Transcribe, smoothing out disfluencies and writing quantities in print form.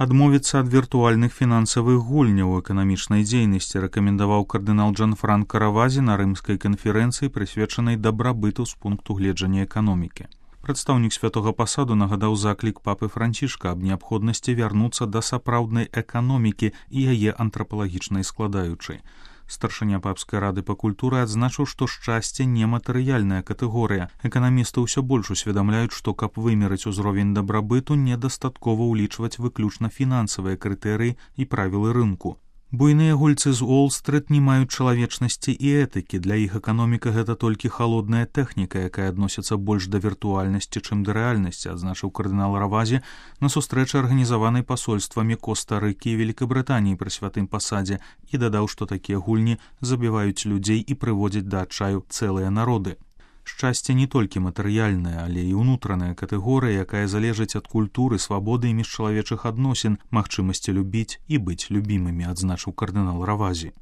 Адмовіцца ад віртуальных фінансавых гульняў у эканамічнай дзейнасці рэкамендаваў кардынал Джанфранка Равазі на рымскай канферэнцыі, прысвечанай дабрабыту з пункту гледжання эканомікі. Прадстаўнік святога пасаду нагадаў заклік папы Францішка аб неабходнасці вярнуцца да сапраўднай эканомікі і яе антрапалагічнай складаючай. Старшыня папскай рады па культуры адзначыў, што шчасце нематэрыяльная катэгорыя. Эканамісты ўсё больш усведамляюць, што каб вымерыць узровень дабрабыту, недастаткова ўлічваць выключна фінансавыя крытэрыі і правілы рынку. Буйныя гульцы з Уолл-стрыт не маюць чалавечнасці і этыкі. Для іх эканоміка гэта толькі халодная тэхніка, якая адносіцца больш да віртуальнасці, чым да рэальнасці, адзначыў кардынал Равазі на сустрэчы, арганізаванай пасольствамі Коста-Рыкі і Великабрытаніі пры святым пасадзе, і дадаў, што такія гульні забіваюць людзей і прыводзяць да адчаю цэлыя народы. Шчасце не толькі матэрыяльная, але і ўнутраная катэгорыя, якая залежыць ад культуры, свабоды і міжчалавечых адносін, магчымасці любіць і быць любімымі, адзначыў кардынал Равазі.